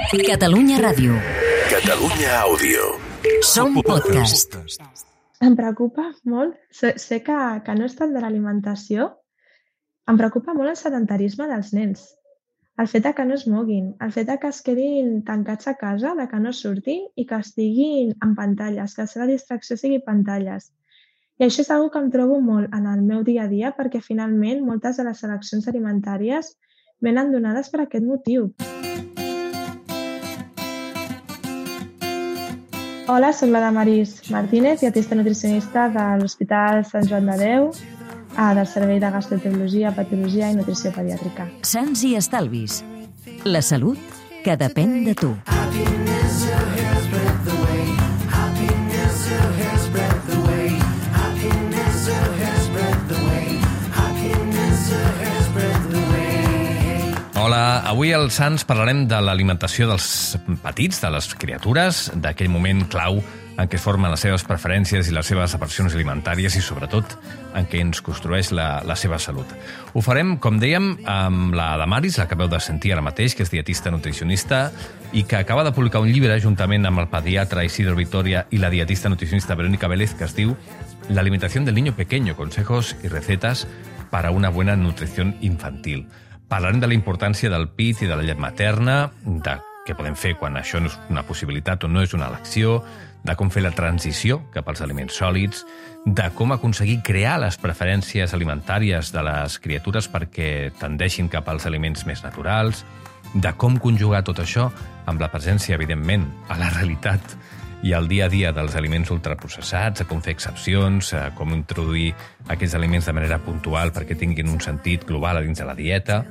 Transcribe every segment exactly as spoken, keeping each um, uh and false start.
Catalunya Ràdio. Catalunya Àudio. Som podcast. Em preocupa molt, sé, sé que, que no és tant de l'alimentació, em preocupa molt el sedentarisme dels nens. El fet de que no es moguin, el fet de que es quedin tancats a casa, de que no surtin i que estiguin en pantalles, que la seva distracció sigui pantalles. I això és una que em trobo molt en el meu dia a dia perquè finalment moltes de les seleccions alimentàries venen donades per aquest motiu. Hola, soc la Damaris Martínez, dietista nutricionista de l'Hospital Sant Joan de Déu, del Servei de Gastroenterologia, Patologia i Nutrició Pediàtrica. Sants i estalvis. La salut que depèn de tu. Hola, avui als Sants parlarem de l'alimentació dels petits, de les criatures, d'aquell moment clau en què es formen les seves preferències i les seves aversions alimentàries i, sobretot, en què ens construeix la, la seva salut. Ho farem, com dèiem, amb la Damaris, la que acabeu de sentir ara mateix, que és dietista nutricionista i que acaba de publicar un llibre juntament amb el pediatre Isidro Vitoria i la dietista nutricionista Verónica Vélez, que es diu La alimentación del niño pequeño, consejos y recetas para una buena nutrición infantil. Parlarem de la importància del pit i de la llet materna, de què podem fer quan això no és una possibilitat o no és una elecció, de com fer la transició cap als aliments sòlids, de com aconseguir crear les preferències alimentàries de les criatures perquè tendeixin cap als aliments més naturals, de com conjugar tot això amb la presència, evidentment, a la realitat i al dia a dia dels aliments ultraprocessats, a com fer excepcions, a com introduir aquests aliments de manera puntual perquè tinguin un sentit global a dins de la dieta.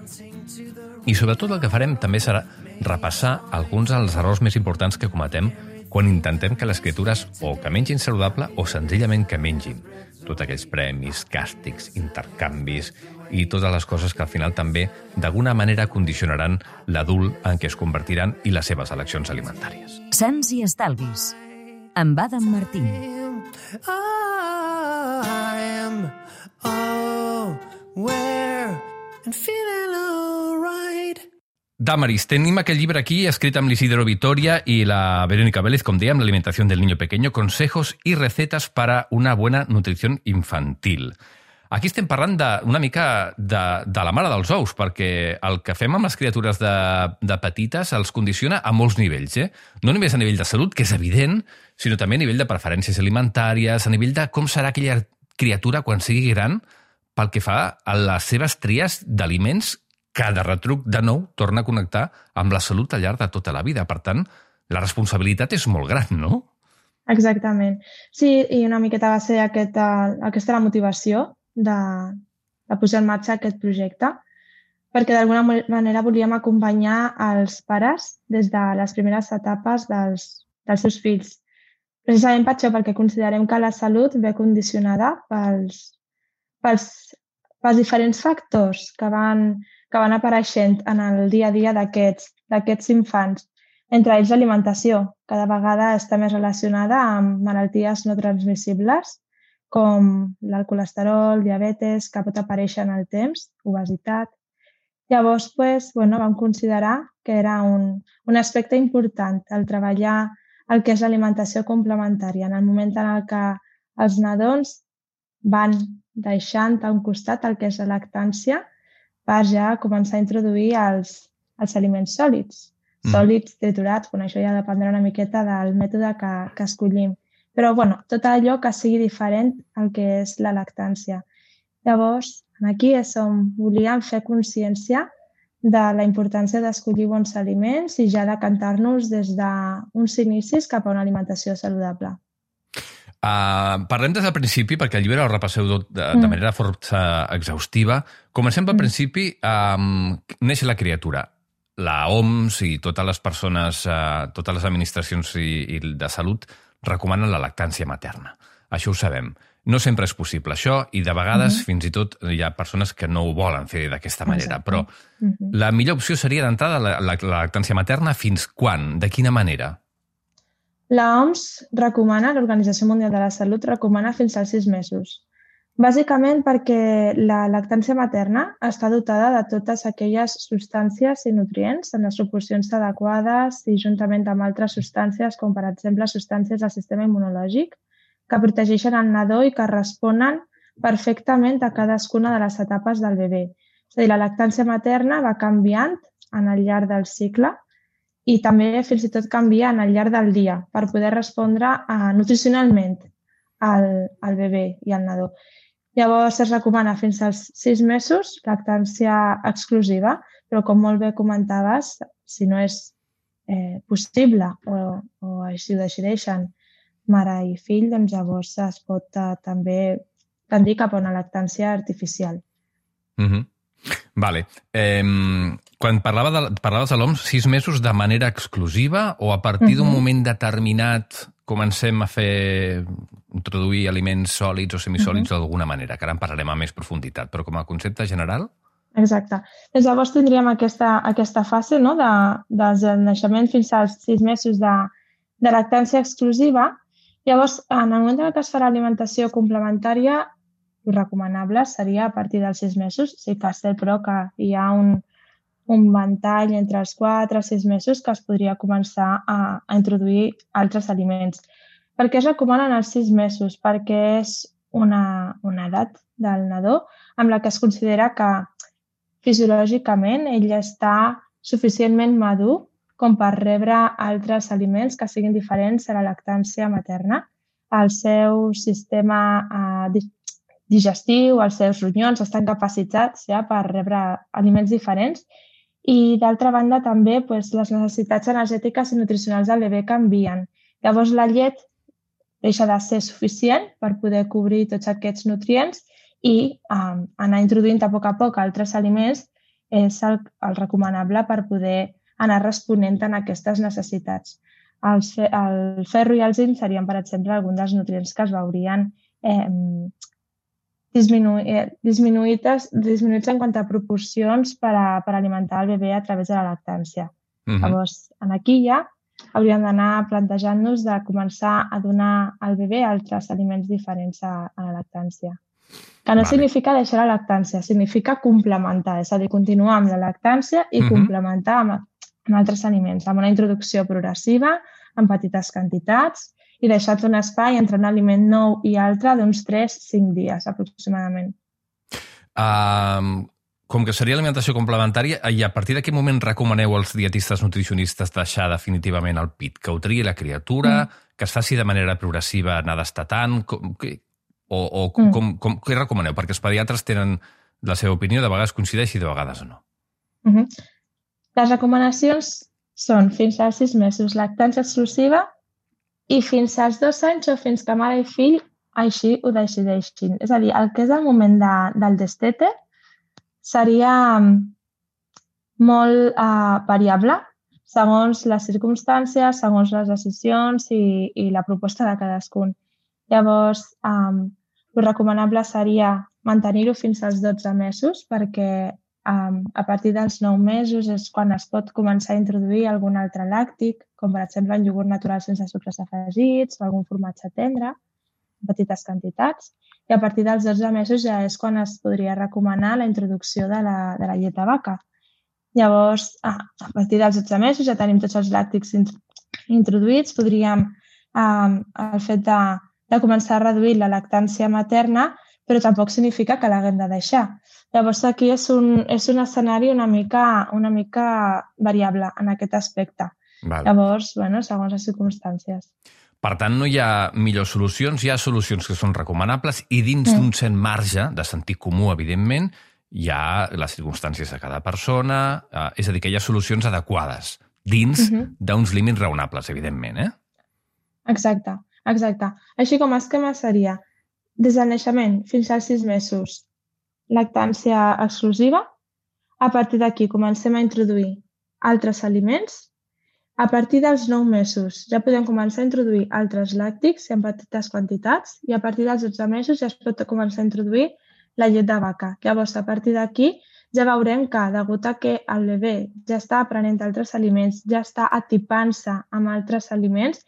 I sobretot el que farem també serà repassar alguns dels errors més importants que cometem quan intentem que les criatures o que mengin saludable o senzillament que mengin. Tots aquells premis, càstigs, intercanvis i totes les coses que al final també d'alguna manera condicionaran l'adult en què es convertiran i les seves eleccions alimentàries. Sants i estalvis. Amb Adam Martín. I am aware and feeling all right. Damaris, tenim aquest llibre aquí, escrit amb l'Isidro Vitoria i la Verónica Vélez, com dèiem, l'alimentació del niño pequeño, consejos i recetes para una buena nutrición infantil. Aquí estem parlant de, una mica de, de la mare dels ous, perquè el que fem amb les criatures de, de petites els condiciona a molts nivells, eh? No només a nivell de salut, que és evident, sinó també a nivell de preferències alimentàries, a nivell de com serà aquella criatura quan sigui gran pel que fa a les seves tries d'aliments que de retruc, de nou, torna a connectar amb la salut al llarg de tota la vida. Per tant, la responsabilitat és molt gran, no? Exactament. Sí, i una miqueta va ser aquesta, aquesta la motivació de, de posar en marxa aquest projecte, perquè d'alguna manera volíem acompanyar els pares des de les primeres etapes dels, dels seus fills. Precisament per això, perquè considerem que la salut ve condicionada pels, pels, pels diferents factors que van, que van apareixent en el dia a dia d'aquests d'aquests infants. Entre ells l'alimentació, que cada vegada està més relacionada amb malalties no transmissibles, com el colesterol, diabetes, que pot aparèixer en el temps, obesitat. Llavors, pues, bueno, vam considerar que era un, un aspecte important el treballar el que és l'alimentació complementària, en el moment en el que els nadons van deixant a un costat el que és la lactància per ja començar a introduir els, els aliments sòlids. Mm. Sòlids, triturats, bueno, això ja dependrà una miqueta del mètode que, que escollim. Però, bueno, tot allò que sigui diferent al que és la lactància. Llavors, aquí és on volíem fer consciència de la importància d'escollir bons aliments i ja decantar-nos des d'uns inicis cap a una alimentació saludable. Uh, parlem des del principi, perquè el llibre el repasseu de, de, de manera força exhaustiva. Comencem pel principi. Um, neix la criatura. La O M S i totes les persones, uh, totes les administracions i, i de salut recomanen la lactància materna. Això ho sabem. No sempre és possible això i de vegades uh-huh. fins i tot hi ha persones que no ho volen fer d'aquesta manera. Exacte. Però uh-huh. la millor opció seria d'entrada la, la, la lactància materna fins quan? De quina manera? La O M S recomana, l'Organització Mundial de la Salut recomana fins als sis mesos. Bàsicament perquè la lactància materna està dotada de totes aquelles substàncies i nutrients en les proporcions adequades i juntament amb altres substàncies, com per exemple substàncies del sistema immunològic, que protegeixen el nadó i que responen perfectament a cadascuna de les etapes del bebè. És a dir, la lactància materna va canviant en el llarg del cicle i també fins i tot canvia en el llarg del dia per poder respondre uh, nutricionalment al, al bebè i al nadó. Llavors es recomana fins als sis mesos lactància exclusiva, però com molt bé comentaves, si no és eh, possible o, o així ho decideixen mare i fill, doncs llavors es pot uh, també tendir cap a una lactància artificial. Mm-hmm. Vale. Eh, quan parlava de, parlaves de l'O M S, sis mesos de manera exclusiva o a partir d'un uh-huh. moment determinat comencem a fer introduir aliments sòlids o semisòlids uh-huh. d'alguna manera, que ara en parlarem amb més profunditat, però com a concepte general? Exacte. Doncs llavors tindríem aquesta, aquesta fase, no?, de, des del naixement fins als sis mesos de, de lactància exclusiva. Llavors, en el moment en què es farà alimentació complementària, el recomanable seria a partir dels sis mesos. Sí que és cert, però, que hi ha un, un ventall entre els quatre i sis mesos que es podria començar a, a introduir altres aliments. Per què es recomanen els sis mesos? Perquè és una, una edat del nadó amb la que es considera que fisiològicament ell està suficientment madur com per rebre altres aliments que siguin diferents a la lactància materna. El seu sistema eh, digestiu, els seus ronyons estan capacitats ja per rebre aliments diferents i, d'altra banda, també doncs, les necessitats energètiques i nutricionals del bebè canvien. Llavors, la llet deixa de ser suficient per poder cobrir tots aquests nutrients i um, anar introduint a poc a poc altres aliments és el, el recomanable per poder anar responent a aquestes necessitats. El, el ferro i el zinc serien, per exemple, alguns dels nutrients que es veurien eh, Disminu disminuïts, disminuïts en quant a proporcions per, a, per alimentar el bebè a través de la lactància. Uh-huh. Llavors, aquí ja hauríem d'anar plantejant-nos de començar a donar al bebè altres aliments diferents a, a la lactància. Que no vale. Significa deixar la lactància, significa complementar, és a dir, continuar amb la lactància i uh-huh. complementar amb, amb altres aliments, amb una introducció progressiva, en petites quantitats, i deixat un espai entre un aliment nou i altre d'uns tres a cinc dies, aproximadament. Uh, com que seria alimentació complementària, i a partir d'aquest moment recomaneu als dietistes nutricionistes deixar definitivament el pit, que ho triï la criatura, mm. que es faci de manera progressiva, anar destatant, com, que, o, o mm. com, com, què recomaneu? Perquè els pediatres tenen la seva opinió, de vegades coincideix i de vegades no. Mm-hmm. Les recomanacions són fins als sis mesos lactància exclusiva i fins als dos anys o fins que mare i fill així ho decideixin. És a dir, el que és el moment de, del destete seria molt uh, variable segons les circumstàncies, segons les decisions i, i la proposta de cadascun. Llavors, um, el recomanable seria mantenir-ho fins als dotze mesos perquè um, a partir dels nou mesos és quan es pot començar a introduir algun altre làctic, com per exemple el iogurt natural sense sucres afegits o algun formatge tendre, en petites quantitats. I a partir dels dotze mesos ja és quan es podria recomanar la introducció de la, de la llet de vaca. Llavors, ah, a partir dels dotze mesos ja tenim tots els làctics introduïts. Podríem, eh, el fet de, de començar a reduir la lactància materna, però tampoc significa que l'haguem de deixar. Llavors, aquí és un, és un escenari una mica, una mica variable en aquest aspecte. Val. Llavors, bueno, segons les circumstàncies. Per tant, no hi ha millors solucions, hi ha solucions que són recomanables i dins mm. d'un cert marge de sentit comú, evidentment, hi ha les circumstàncies de cada persona, eh, és a dir, que hi ha solucions adequades dins mm-hmm. d'uns límits raonables, evidentment, eh? Exacte, exacte. Així com a esquema seria des del naixement fins als sis mesos lactància exclusiva, a partir d'aquí comencem a introduir altres aliments. A partir dels nou mesos ja podem començar a introduir altres làctics en petites quantitats i a partir dels dotze mesos ja es pot començar a introduir la llet de vaca. Llavors, a partir d'aquí ja veurem que, degut a que el bebè ja està aprenent altres aliments, ja està atipant-se amb altres aliments,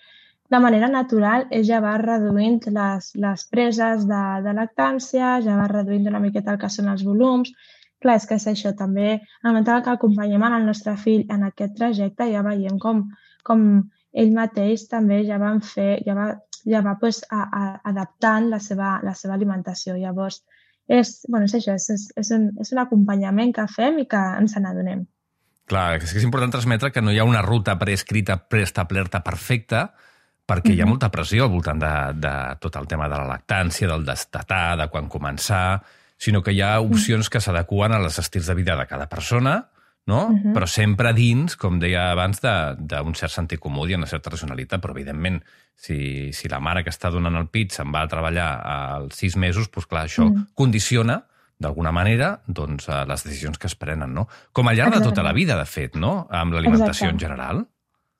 de manera natural, ell ja va reduint les, les preses de, de lactància, ja va reduint una miqueta el que són els volums. Clar, és que és això, també, en el moment que acompanyem el nostre fill en aquest trajecte, ja veiem com, com ell mateix també ja va fer, ja va, ja va pues, a, a, adaptant la seva, la seva alimentació. Llavors, és, bueno, és això, és, és, un, és un acompanyament que fem i que ens n'adonem. Clar, és que és important transmetre que no hi ha una ruta preescrita, preestablerta perfecta, perquè hi ha molta pressió al voltant de, de tot el tema de la lactància, del destetar, de quan començar, sinó que hi ha opcions que s'adequen a les estils de vida de cada persona, no? Uh-huh. Però sempre dins, com deia abans, d'un cert sentit comú i una certa racionalitat. Però, evidentment, si, si la mare que està donant el pit se'n va a treballar als sis mesos, doncs, clar, això uh-huh. condiciona, d'alguna manera, doncs, les decisions que es prenen, no? Com al llarg de tota la vida, de fet, no? Amb l'alimentació en general.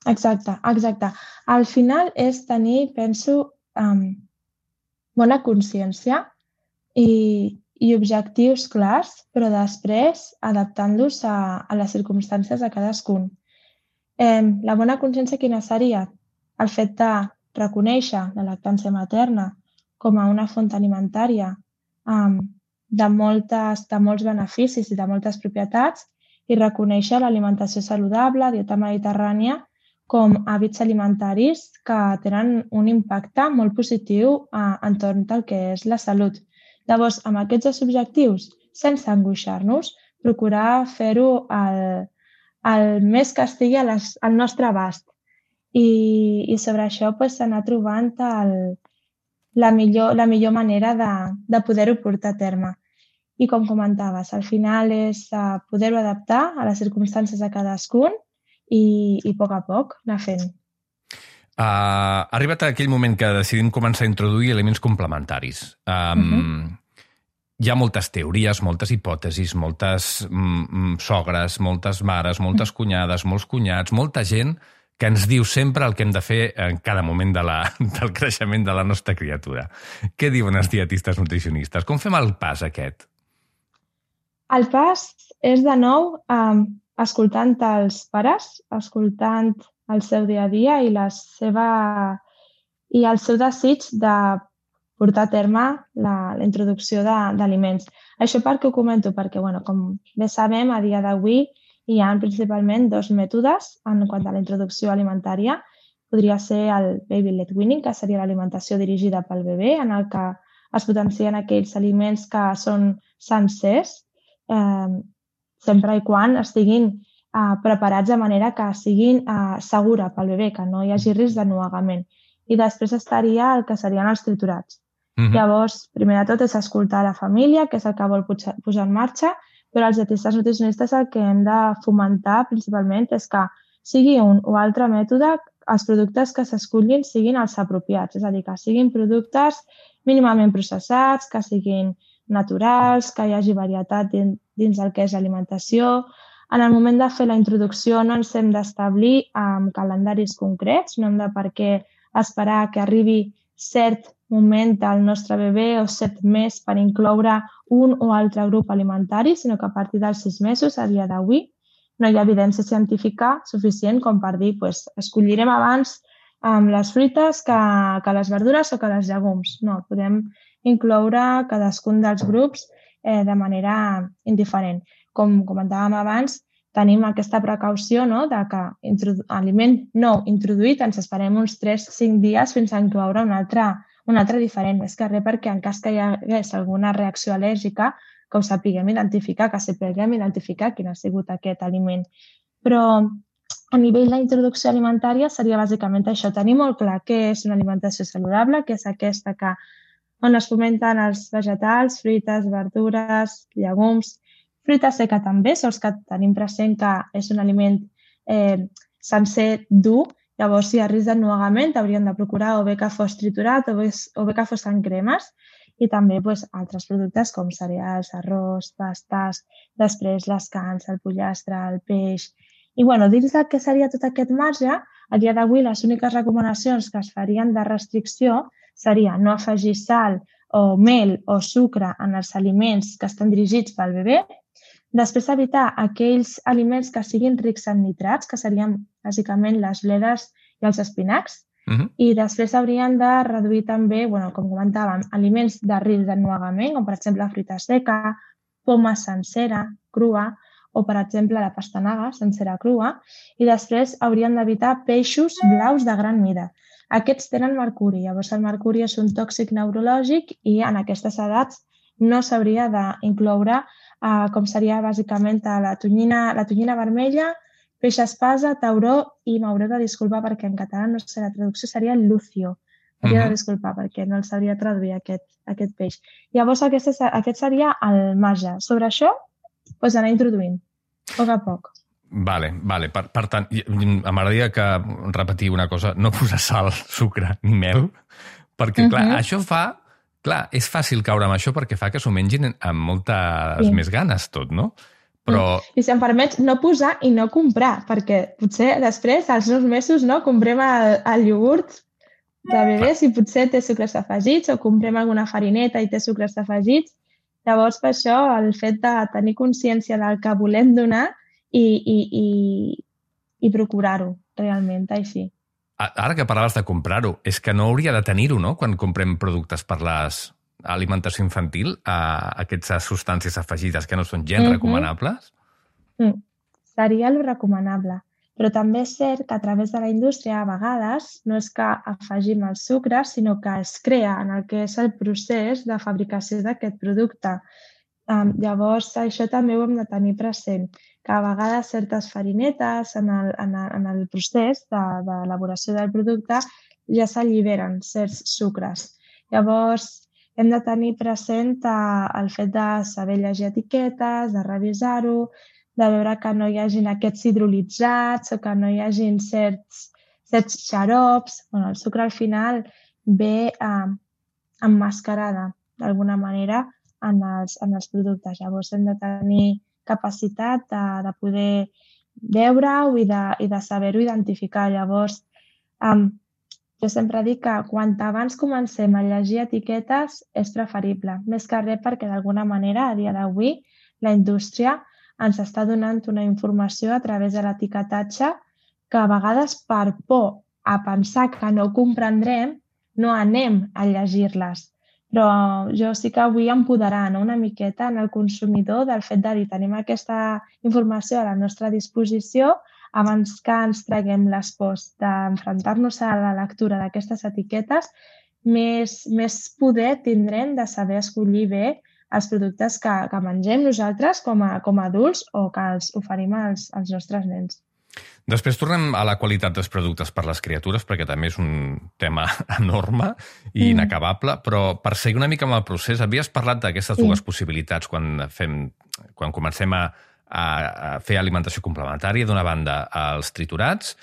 Exacte, exacte. Al final és tenir, penso, um, bona consciència i, i objectius clars, però després adaptant-los a, a les circumstàncies de cadascun. Eh, la bona consciència quina seria? El fet de reconèixer la lactància materna com a una font alimentària um, de, moltes, de molts beneficis i de moltes propietats i reconèixer l'alimentació saludable, dieta mediterrània, com hàbits alimentaris que tenen un impacte molt positiu eh, entorn del que és la salut. Llavors, amb aquests dos objectius, sense angoixar-nos, procurar fer-ho el, el més que estigui a les, al nostre abast. I, i sobre això pues, anar trobant el, la, millor, la millor manera de, de poder-ho portar a terme. I com comentaves, al final és uh, poder-ho adaptar a les circumstàncies de cadascun i, i a poc a poc anar fent. Uh, ha arribat aquell moment que decidim començar a introduir elements complementaris. Um, uh-huh. Hi ha moltes teories, moltes hipòtesis, moltes mm, sogres, moltes mares, moltes cunyades, molts cunyats, molta gent que ens diu sempre el que hem de fer en cada moment de la, del creixement de la nostra criatura. Què diuen els dietistes nutricionistes? Com fem el pas aquest? El pas és, de nou, um, escoltant els pares, escoltant el seu dia a dia i, la seva, i el seu desig de portar a terme la, la introducció d'aliments. Això per què ho comento? Perquè, bueno, com bé sabem, a dia d'avui hi ha principalment dos mètodes en quant a la introducció alimentària. Podria ser el baby-led weaning, que seria l'alimentació dirigida pel bebè, en el que es potencien aquells aliments que són sencers, eh, sempre i quan estiguin eh, preparats de manera que siguin eh, segura pel bebè, que no hi hagi risc de nuegament. I després estaria el que serien els triturats. Mm-hmm. Llavors, primer de tot és escoltar la família, que és el que vol posar en marxa, però els dietistes nutricionistes el que hem de fomentar principalment és que sigui un o altre mètode, els productes que s'escollin siguin els apropiats, és a dir, que siguin productes mínimament processats, que siguin naturals, que hi hagi varietat dins, dins del que és l'alimentació. En el moment de fer la introducció no ens hem d'establir amb calendaris concrets, no hem de per què esperar que arribi cert moment del nostre bebè o set més per incloure un o altre grup alimentari, sinó que a partir dels sis mesos, a dia d'avui, no hi ha evidència científica suficient com per dir pues, escollirem abans um, les fruites que, que les verdures o que les llegums. No, podem incloure cadascun dels grups eh, de manera indiferent. Com comentàvem abans, tenim aquesta precaució, no?, de que aliment nou introduït ens esperem uns tres a cinc dies fins a incloure un altre, un altre diferent. Més que res perquè en cas que hi hagués alguna reacció al·lèrgica, que ho sapiguem identificar, que sapiguem identificar quin ha sigut aquest aliment. Però a nivell d'introducció alimentària seria bàsicament això, tenir molt clar què és una alimentació saludable, que és aquesta que, on es fomenten els vegetals, fruites, verdures, llegums, fruita seca també, sols que tenim present que és un aliment eh, sencer dur, llavors si hi ha risc de nuegament hauríem de procurar o bé que fos triturat o bé, o bé que fos en cremes i també pues, altres productes com cereals, arròs, pastes, després les carns, el pollastre, el peix. I bueno, dins del que seria tot aquest marge, a dia d'avui les úniques recomanacions que es farien de restricció seria no afegir sal o mel o sucre en els aliments que estan dirigits pel bebè. Després, evitar aquells aliments que siguin rics en nitrats, que serien bàsicament les bledes i els espinacs, Mhm. i després haurien de reduir també, bueno, com comentàvem, aliments de risc d'ennuegament, com per exemple fruita seca, poma sencera, crua, o per exemple la pastanaga sencera crua, i després haurien d'evitar peixos blaus de gran mida. Aquests tenen mercuri, llavors el mercuri és un tòxic neurològic i en aquestes edats no s'hauria d'incloure eh, com seria bàsicament la tonyina, la tonyina vermella, peix espasa, tauró i m'hauré de disculpar perquè en català no sé, la traducció seria lucio. M'hauria Mhm. de disculpar perquè no el sabria traduir aquest, aquest peix. Llavors aquest, és, aquest seria el marge. Sobre això, doncs anar introduint, a poc a poc. Vale, vale. Per, per tant, i- i m'agradaria que repetir una cosa, no posar sal, sucre ni mel, perquè, clar, Mhm. això fa... Clar, és fàcil caure amb això perquè fa que s'ho mengin amb moltes Sí. més ganes tot, no? Però... I si em permets, no posar i no comprar, perquè potser després, als nous mesos, no, comprem el, el iogurt de bebès i potser té sucres afegits o comprem alguna farineta i té sucres afegits. Llavors, per això, el fet de tenir consciència del que volem donar i, i, i, i procurar-ho realment, així. A- Ara que parlaves de comprar-ho, és que no hauria de tenir-ho, no?, quan comprem productes per l'alimentació infantil, a aquestes substàncies afegides que no són gens Mhm. recomanables? Mm. Seria el recomanable. Però també és cert que a través de la indústria, a vegades, no és que afegim el sucre, sinó que es crea en el que és el procés de fabricació d'aquest producte. Um, llavors, això també ho hem de tenir present, que a vegades certes farinetes en el, en el, en el procés d'elaboració de, del producte ja s'alliberen certs sucres. Llavors, hem de tenir present eh, el fet de saber llegir etiquetes, de revisar-ho, de veure que no hi hagin aquests hidrolitzats o que no hi hagin certs, certs xarops. Bueno, el sucre al final ve eh, emmascarada d'alguna manera en els, en els productes. Llavors hem de tenir capacitat de, de poder veure-ho i de, i de saber-ho identificar. Llavors, um, jo sempre dic que quan abans comencem a llegir etiquetes és preferible, més que res perquè d'alguna manera a dia d'avui la indústria ens està donant una informació a través de l'etiquetatge que a vegades per por a pensar que no ho comprendrem no anem a llegir-les. Però jo sí que vull empoderar, no?, una miqueta en el consumidor del fet de dir tenim aquesta informació a la nostra disposició abans que ens traguem les pors d'enfrontar-nos a la lectura d'aquestes etiquetes, més, més poder tindrem de saber escollir bé els productes que, que mengem nosaltres com a, com a adults o que els oferim als, als nostres nens. Després tornem a la qualitat dels productes per les criatures, perquè també és un tema enorme i Mm. inacabable, però per seguir una mica amb el procés, havies parlat d'aquestes Sí. dues possibilitats quan, fem, quan comencem a, a, a fer alimentació complementària, d'una banda els triturats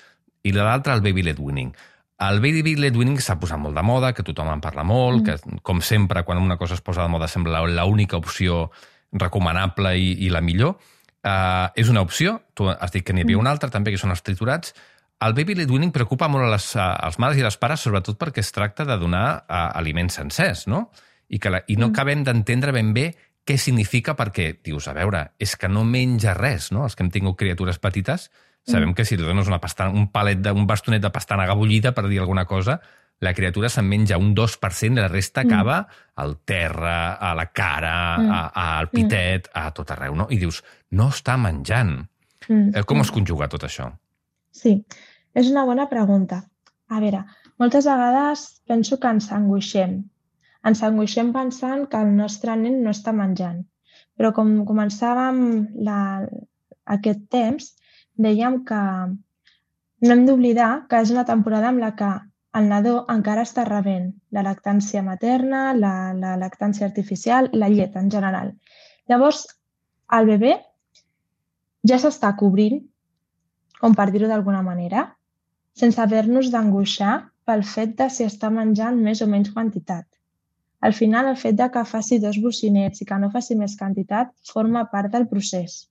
i de l'altra el baby led weaning. El baby led weaning s'ha posat molt de moda, que tothom en parla molt, Mm. que com sempre quan una cosa es posa de moda sembla l'única opció recomanable i, i la millor. Uh, és una opció, tu has dit que n'hi havia Mm. una altra també, que són els triturats. El baby led weaning preocupa molt a les, a, als mares i les pares, sobretot perquè es tracta de donar uh, aliments sencers, no? I, que la, i no Mm. acabem d'entendre ben bé què significa, perquè dius, a veure, és que no menja res, no? Els que hem tingut criatures petites sabem Mm. que si li dones una pastana, un palet de, un bastonet de pastanaga bullida, per dir alguna cosa, la criatura se'n menja un dos per cent i la resta Mm. acaba al terra, a la cara, Mm. a, a, al pitet, a tot arreu, no? I dius, no està menjant. Mm. Eh, Com es conjuga tot això? Sí, és una bona pregunta. A veure, moltes vegades penso que ens angoixem. Ens angoixem pensant que el nostre nen no està menjant. Però com començàvem la, aquest temps, dèiem que no hem d'oblidar que és una temporada en la que el nadó encara està rebent la lactància materna, la, la lactància artificial, la llet en general. Llavors, el bebè ja s'està cobrint, com per dir-ho d'alguna manera, sense haver-nos d'angoixar pel fet de si està menjant més o menys quantitat. Al final, el fet de que faci dos bocinets i que no faci més quantitat forma part del procés.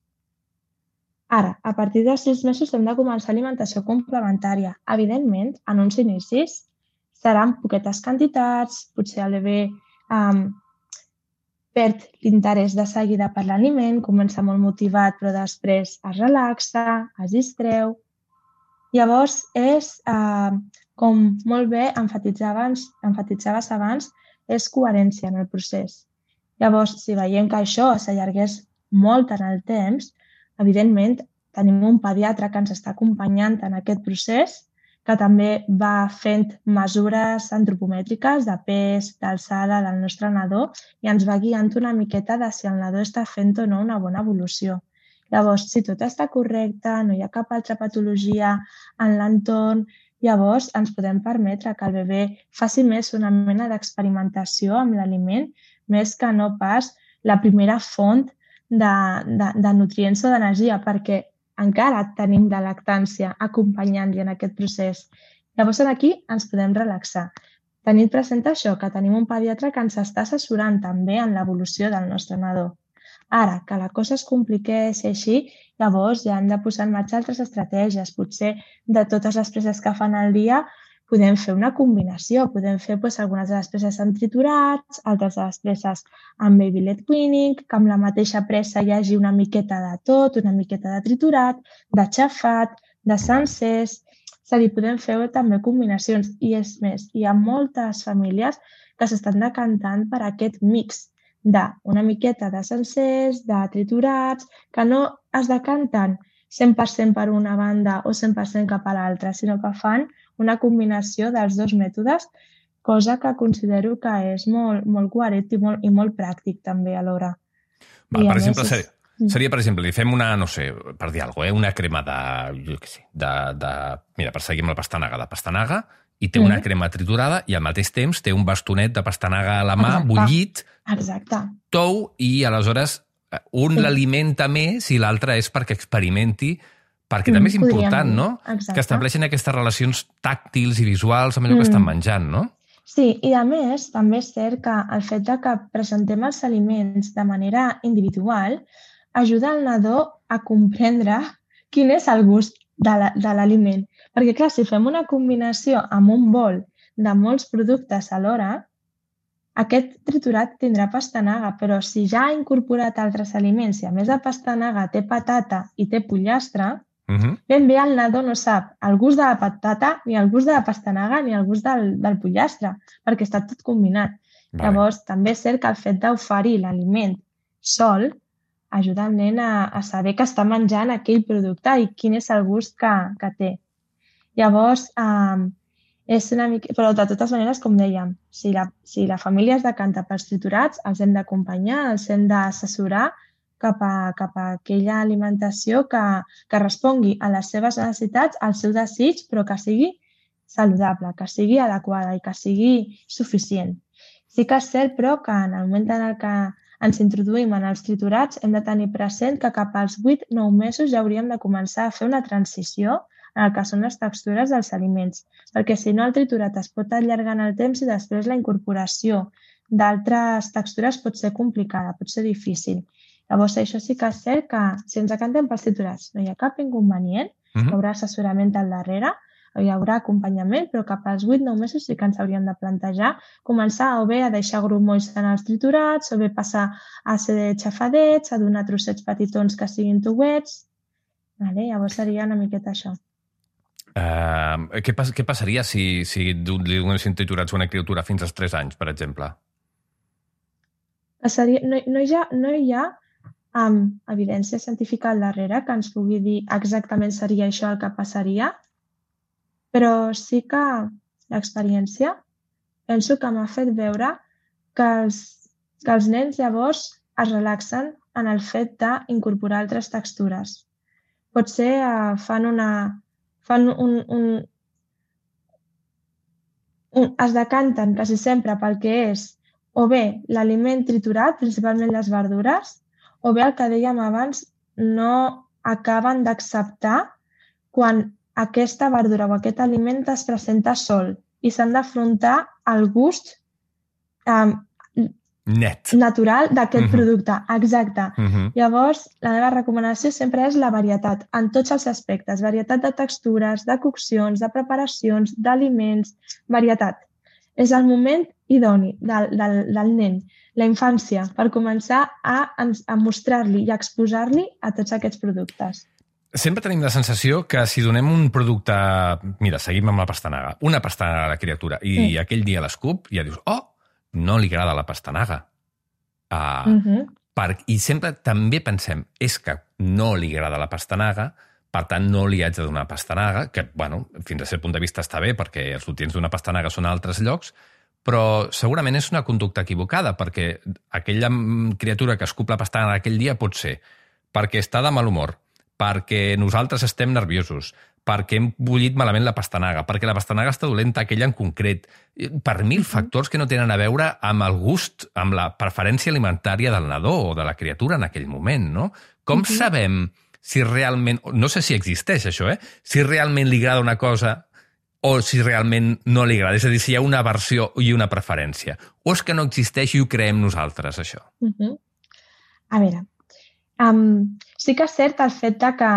Ara, a partir dels sis mesos hem de començar alimentació complementària. Evidentment, en uns inicis seran poquetes quantitats, potser el bebè um, perd l'interès de seguida per l'aliment, comença molt motivat però després es relaxa, es distreu. Llavors és eh, com molt bé enfatitzaves, enfatitzaves abans, és coherència en el procés. Llavors, si veiem que això s'allargués molt en el temps, evidentment tenim un pediatre que ens està acompanyant en aquest procés, que també va fent mesures antropomètriques de pes, d'alçada del nostre nadó i ens va guiant una miqueta de si el nadó està fent o no una bona evolució. Llavors, si tot està correcte, no hi ha cap altra patologia en l'entorn, llavors ens podem permetre que el bebè faci més una mena d'experimentació amb l'aliment, més que no pas la primera font de, de, de nutrients o d'energia, perquè encara tenim de lactància acompanyant-li en aquest procés. Llavors, aquí ens podem relaxar. Tenint present això, que tenim un pediatre que ens està assessorant també en l'evolució del nostre nadó. Ara, que la cosa es compliqués i així, llavors ja hem de posar en marxa altres estratègies. Potser de totes les preses que fan al dia podem fer una combinació. Podem fer doncs, algunes de les preses amb triturats, altres de les preses amb baby led weaning, que amb la mateixa pressa hi hagi una miqueta de tot, una miqueta de triturat, de xafat, de sencers. És a dir, podem fer també combinacions. I és més, hi ha moltes famílies que s'estan decantant per aquest mix d'una miqueta de sencers, de triturats, que no es decanten cent per cent per una banda o cent per cent cap a l'altra, sinó que fan una combinació dels dos mètodes, cosa que considero que és molt, molt coherent i molt, i molt pràctic també alhora. Va, per exemple, és... seria, seria, per exemple, li fem una, no sé, per dir alguna cosa, eh? una crema de, jo què sé, de, de, mira, per seguir amb la pastanaga, de pastanaga, i té una mm. crema triturada i al mateix temps té un bastonet de pastanaga a la mà, Exacte. bullit, Exacte. tou, i aleshores un sí. l'alimenta més i l'altre és perquè experimenti, perquè mm, també és important, no? Exacte. Que estableixen aquestes relacions tàctils i visuals amb allò mm. que estan menjant, no? Sí, i a més també és cert que el fet de que presentem els aliments de manera individual ajuda el nadó a comprendre quin és el gust de l'aliment. Perquè, clar, si fem una combinació amb un bol de molts productes alhora, aquest triturat tindrà pastanaga, però si ja ha incorporat altres aliments i a més de pastanaga té patata i té pollastre, uh-huh. ben bé el nadó no sap el gust de la patata, ni el gust de la pastanaga, ni el gust del, del pollastre, perquè està tot combinat. Vale. Llavors, també és cert que el fet d'oferir l'aliment sol ajuda el nen a, a saber que està menjant aquell producte i quin és el gust que, que té. Llavors, eh, és una mica... Però de totes maneres, com dèiem, si la, si la família es decanta pels triturats, els hem d'acompanyar, els hem d'assessorar cap a, cap a aquella alimentació que, que respongui a les seves necessitats, al seu desig, però que sigui saludable, que sigui adequada i que sigui suficient. Sí que és cert, però, que en el moment en el que ens introduïm en els triturats, hem de tenir present que cap als vuit a nou mesos ja hauríem de començar a fer una transició en el que són les textures dels aliments, perquè si no el triturat es pot allargar en el temps i després la incorporació d'altres textures pot ser complicada, pot ser difícil. Llavors, això sí que és cert que si ens decantem pels triturats no hi ha cap inconvenient, uh-huh. hi haurà assessorament al darrere, hi haurà acompanyament, però cap als vuit a nou mesos sí que ens hauríem de plantejar començar o bé a deixar grumolls en els triturats, o bé passar a ser xafadets, a donar trossets petitons que siguin tuets. Vale? Llavors seria una miqueta això. Uh, què, pas, què passaria si, si li donessin triturats a una criatura fins als tres anys, per exemple? Passaria, no, no hi ha, no hi ha um, evidència científica al darrere que ens pugui dir exactament seria això el que passaria, però sí que l'experiència penso que m'ha fet veure que els, que els nens llavors es relaxen en el fet d'incorporar altres textures. Potser eh, fan una... fan un, un, un... es decanten quasi sempre pel que és o bé l'aliment triturat, principalment les verdures, o bé el que dèiem abans, no acaben d'acceptar quan aquesta verdura o aquest aliment es presenta sol i s'han d'afrontar al gust eh, net natural d'aquest uh-huh. producte. Exacte. Uh-huh. Llavors, la meva recomanació sempre és la varietat en tots els aspectes. Varietat de textures, de coccions, de preparacions, d'aliments, varietat. És el moment idoni del, del, del nen, la infància, per començar a, a mostrar-li i a exposar-li a tots aquests productes. Sempre tenim la sensació que si donem un producte... Mira, seguim amb la pastanaga. Una pastanaga a la criatura i mm. aquell dia l'escup i ja dius, oh, no li agrada la pastanaga. Uh, mm-hmm. per, I sempre també pensem, és que no li agrada la pastanaga, per tant no li haig de donar pastanaga, que, bueno, fins a cert punt de vista està bé, perquè els nutrients d'una pastanaga són a altres llocs, però segurament és una conducta equivocada, perquè aquella criatura que escup la pastanaga aquell dia pot ser perquè està de mal humor, perquè nosaltres estem nerviosos, perquè hem bullit malament la pastanaga, perquè la pastanaga està dolenta aquella en concret, per mil factors que no tenen a veure amb el gust, amb la preferència alimentària del nadó o de la criatura en aquell moment, no? Com uh-huh. sabem si realment... No sé si existeix això, eh? Si realment li agrada una cosa o si realment no li agrada. És a dir, si hi ha una aversió i una preferència. O és que no existeix i ho creem nosaltres, això? Uh-huh. A veure, um, sí que és cert el fet que,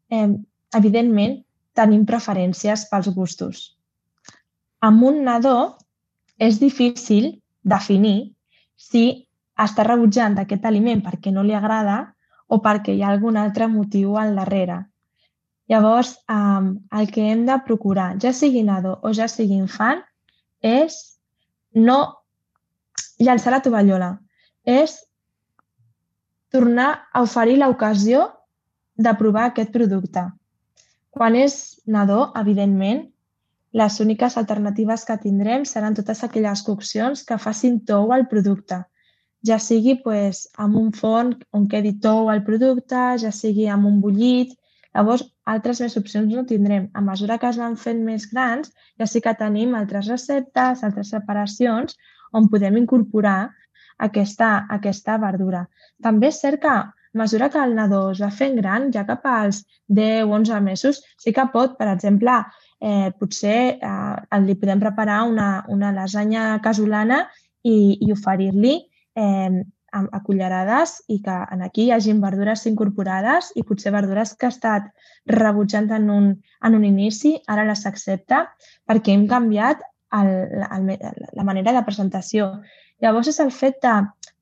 eh, evidentment, tenim preferències pels gustos. Amb un nadó és difícil definir si està rebutjant aquest aliment perquè no li agrada o perquè hi ha algun altre motiu al darrere. Llavors, um, el que hem de procurar, ja sigui nadó o ja sigui infant, és no llançar la tovallola, és tornar a oferir l'ocasió de provar aquest producte. Quan és nadó, evidentment, les úniques alternatives que tindrem seran totes aquelles coccions que facin tou al producte. Ja sigui pues, amb un forn on quedi tou al producte, ja sigui amb un bullit. Llavors, altres més opcions no tindrem. A mesura que es van fent més grans, ja sí que tenim altres receptes, altres separacions, on podem incorporar aquesta, aquesta verdura. També és cert que a mesura que el nadó es va fent gran, ja cap als deu o onze mesos, sí que pot, per exemple, eh, potser eh, li podem preparar una, una lasanya casolana i, i oferir-li eh, a, a cullerades i que en aquí hi hagi verdures incorporades i potser verdures que ha estat rebutjant en un, en un inici, ara les accepta perquè hem canviat el, el, la manera de presentació. Llavors és el fet de,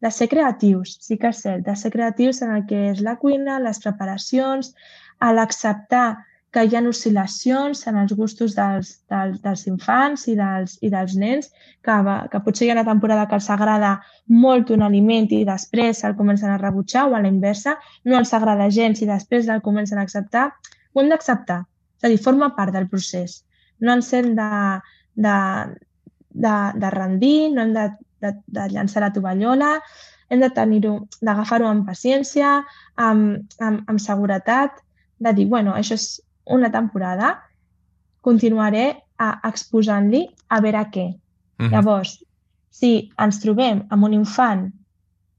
de ser creatius, sí que és cert, de ser creatius en el que és la cuina, les preparacions, a l'acceptar que hi ha oscil·lacions en els gustos dels, dels, dels infants i dels, i dels nens, que, que potser hi ha una temporada que els agrada molt un aliment i després el comencen a rebutjar o a la inversa, no els agrada gens i després el comencen a acceptar. Ho hem d'acceptar, és a dir, forma part del procés. No ens hem de, de, de, de rendir, no hem de, de, de llançar la tovallola, hem de tenir-ho, d'agafar-ho amb paciència, amb, amb, amb seguretat, de dir, bueno, això és una temporada, continuaré a, exposant-li a veure què. Uh-huh. Llavors, si ens trobem amb un infant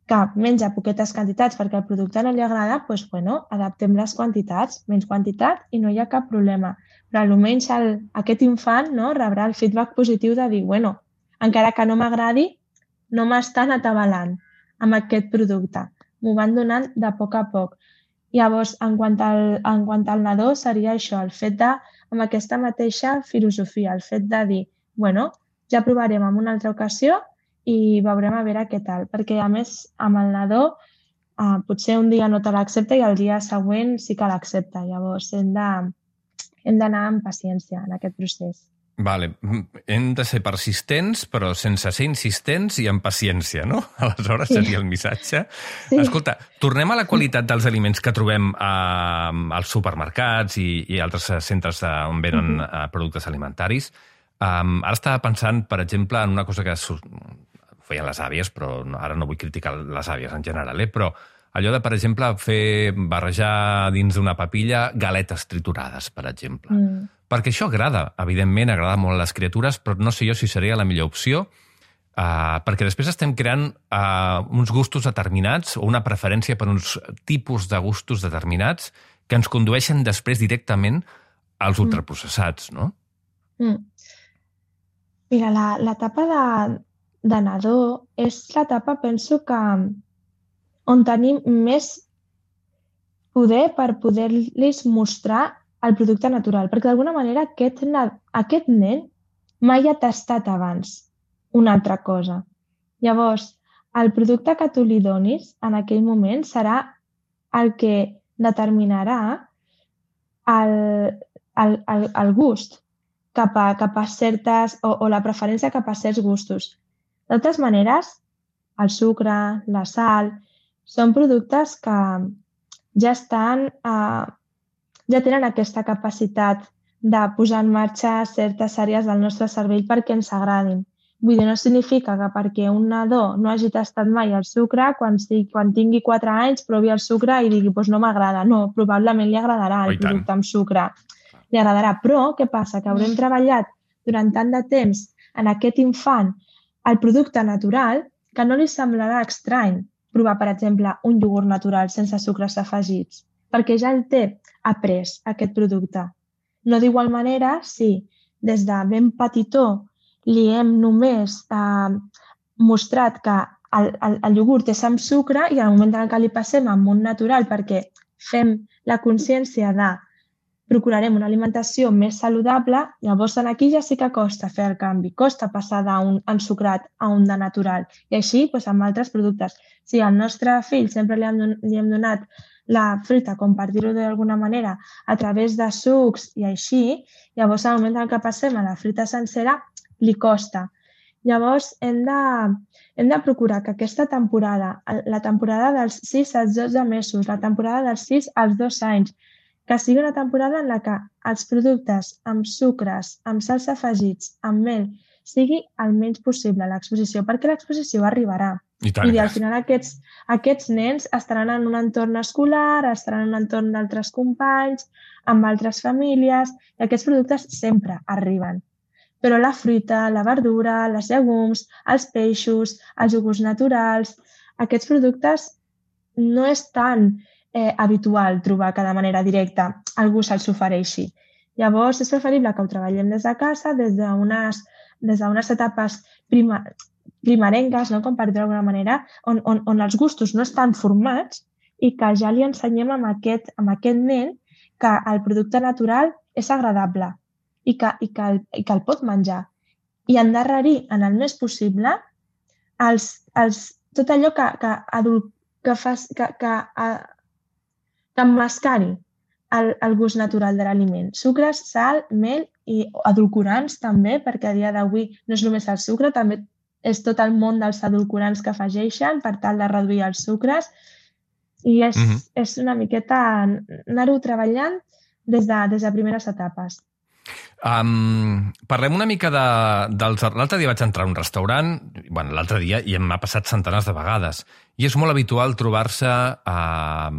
que menja poquetes quantitats perquè el producte no li agrada, doncs, bueno, adaptem les quantitats, menys quantitat i no hi ha cap problema. Però almenys el, aquest infant no, rebrà el feedback positiu de dir, bueno, encara que no m'agradi, no m'estan atabalant amb aquest producte. M'ho van donant de poc a poc. Llavors, en quant, al, en quant al nadó, seria això, el fet de, amb aquesta mateixa filosofia, el fet de dir, bueno, ja provarem en una altra ocasió i veurem a veure què tal. Perquè, a més, amb el nadó, eh, potser un dia no te l'accepta i el dia següent sí que l'accepta. Llavors, hem de, hem d'anar amb paciència en aquest procés. Vale. Hem de ser persistents, però sense ser insistents i amb paciència, no? Aleshores sí. Seria el missatge. Sí. Escolta, tornem a la qualitat dels aliments que trobem a, als supermercats i, i altres centres on venen uh-huh. productes alimentaris. Um, ara estava pensant, per exemple, en una cosa que feien les àvies, però ara no vull criticar les àvies en general, eh? Però allò de, per exemple, fer barrejar dins d'una papilla galetes triturades, per exemple. Mm. Perquè això agrada, evidentment, agrada molt a les criatures, però no sé jo si seria la millor opció, uh, perquè després estem creant uh, uns gustos determinats o una preferència per uns tipus de gustos determinats que ens condueixen després directament als ultraprocessats, no? Mm. Mira, l'etapa de, de nadó és l'etapa, penso, que on tenim més poder per poder-los mostrar el producte natural, perquè d'alguna manera aquest, aquest nen mai ha tastat abans una altra cosa. Llavors, el producte que tu li donis en aquell moment serà el que determinarà el, el, el, el gust cap a, cap a certes, o, o la preferència cap a certs gustos. De totes maneres, el sucre, la sal, són productes que ja estan, eh, ja tenen aquesta capacitat de posar en marxa certes àrees del nostre cervell perquè ens agradin. Vull dir, no significa que perquè un nadó no hagi tastat mai el sucre, quan, sigui, quan tingui quatre anys provi el sucre i digui doncs no m'agrada. No, probablement li agradarà el producte amb sucre. Li agradarà. Però què passa? Que haurem treballat durant tant de temps en aquest infant el producte natural que no li semblarà estrany provar, per exemple, un iogurt natural sense sucres afegits, perquè ja el té après, aquest producte. No d'igual manera, si des de ben petitó li hem només eh, mostrat que el, el, el iogurt és amb sucre i al moment en què li passem amb un natural perquè fem la consciència de procurarem una alimentació més saludable, llavors aquí ja sí que costa fer el canvi, costa passar d'un ensucrat a un de natural. I així doncs, amb altres productes. Si al nostre fill sempre li hem, li hem donat la fruita, com per dir-ho d'alguna manera, a través de sucs i així, llavors al moment en què passem a la fruita sencera, li costa. Llavors hem de, hem de procurar que aquesta temporada, la temporada dels sis als dotze mesos, la temporada dels sis als dos anys, que sigui una temporada en la que els productes amb sucres, amb sals afegits, amb mel, sigui el menys possible l'exposició, perquè l'exposició arribarà. I tant, I al final aquests, aquests nens estaran en un entorn escolar, estaran en un entorn d'altres companys, amb altres famílies, i aquests productes sempre arriben. Però la fruita, la verdura, les llegums, els peixos, els iogurts naturals, aquests productes no és tan eh, habitual trobar que de manera directa algú se'ls ofereixi. Llavors és preferible que ho treballem des de casa, des d'unes des d'unes etapes prima, primerenques, no? Com per dir d'alguna manera, on, on, on els gustos no estan formats i que ja li ensenyem amb aquest, amb aquest nen que el producte natural és agradable i que, i que, el, i que el pot menjar. I endarrerir en el més possible els, els, tot allò que, que, adult, que, fas, que, que, que emmascari el, el gust natural de l'aliment. Sucres, sal, mel i edulcorants també, perquè a dia d'avui no és només el sucre, també és tot el món dels edulcorants que afegeixen per tal de reduir els sucres i és, mm-hmm. és una miqueta anar-ho treballant des de, des de primeres etapes. Um, parlem una mica de, dels... L'altre dia vaig entrar a un restaurant, bueno, l'altre dia, i m'ha passat centenars de vegades, i és molt habitual trobar-se uh,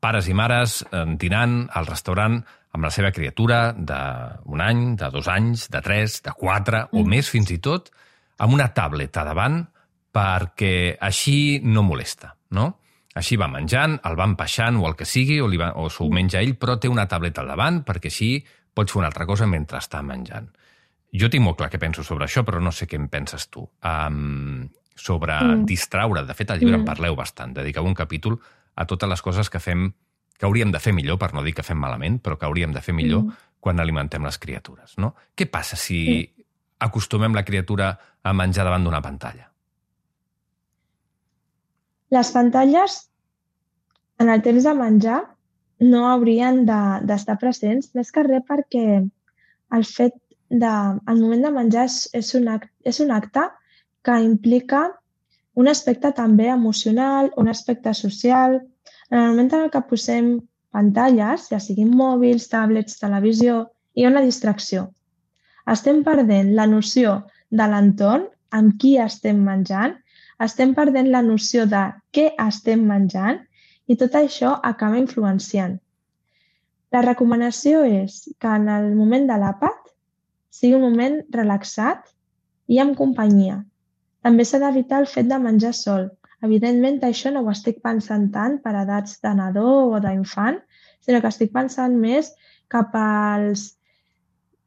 pares i mares uh, dinant al restaurant amb la seva criatura d'un any, de dos anys, de tres, de quatre, mm. o més fins i tot, amb una tableta davant perquè així no molesta, no? Així va menjant, el van peixant o el que sigui, o, li va, o s'ho menja ell, però té una tableta al davant perquè així pots fer una altra cosa mentre està menjant. Jo tinc molt clar què penso sobre això, però no sé què en penses tu. Um, sobre mm. distraure. De fet, al llibre mm. en parleu bastant. Dediqueu un capítol a totes les coses que fem, que hauríem de fer millor, per no dir que fem malament, però que hauríem de fer millor mm. quan alimentem les criatures. No? Què passa si mm. acostumem la criatura a menjar davant d'una pantalla? Les pantalles, en el temps de menjar, no haurien d'estar de, presents, més que res perquè el fet de, el moment de menjar és, és, un acte, és un acte que implica un aspecte també emocional, un aspecte social. En el moment en què posem pantalles, ja siguin mòbils, tablets, televisió, hi ha una distracció. Estem perdent la noció de l'entorn, amb qui estem menjant, estem perdent la noció de què estem menjant, i tot això acaba influenciant. La recomanació és que en el moment de l'àpat sigui un moment relaxat i amb companyia. També s'ha d'evitar el fet de menjar sol. Evidentment, això no ho estic pensant tant per edats de nadó o d'infant, sinó que estic pensant més cap als,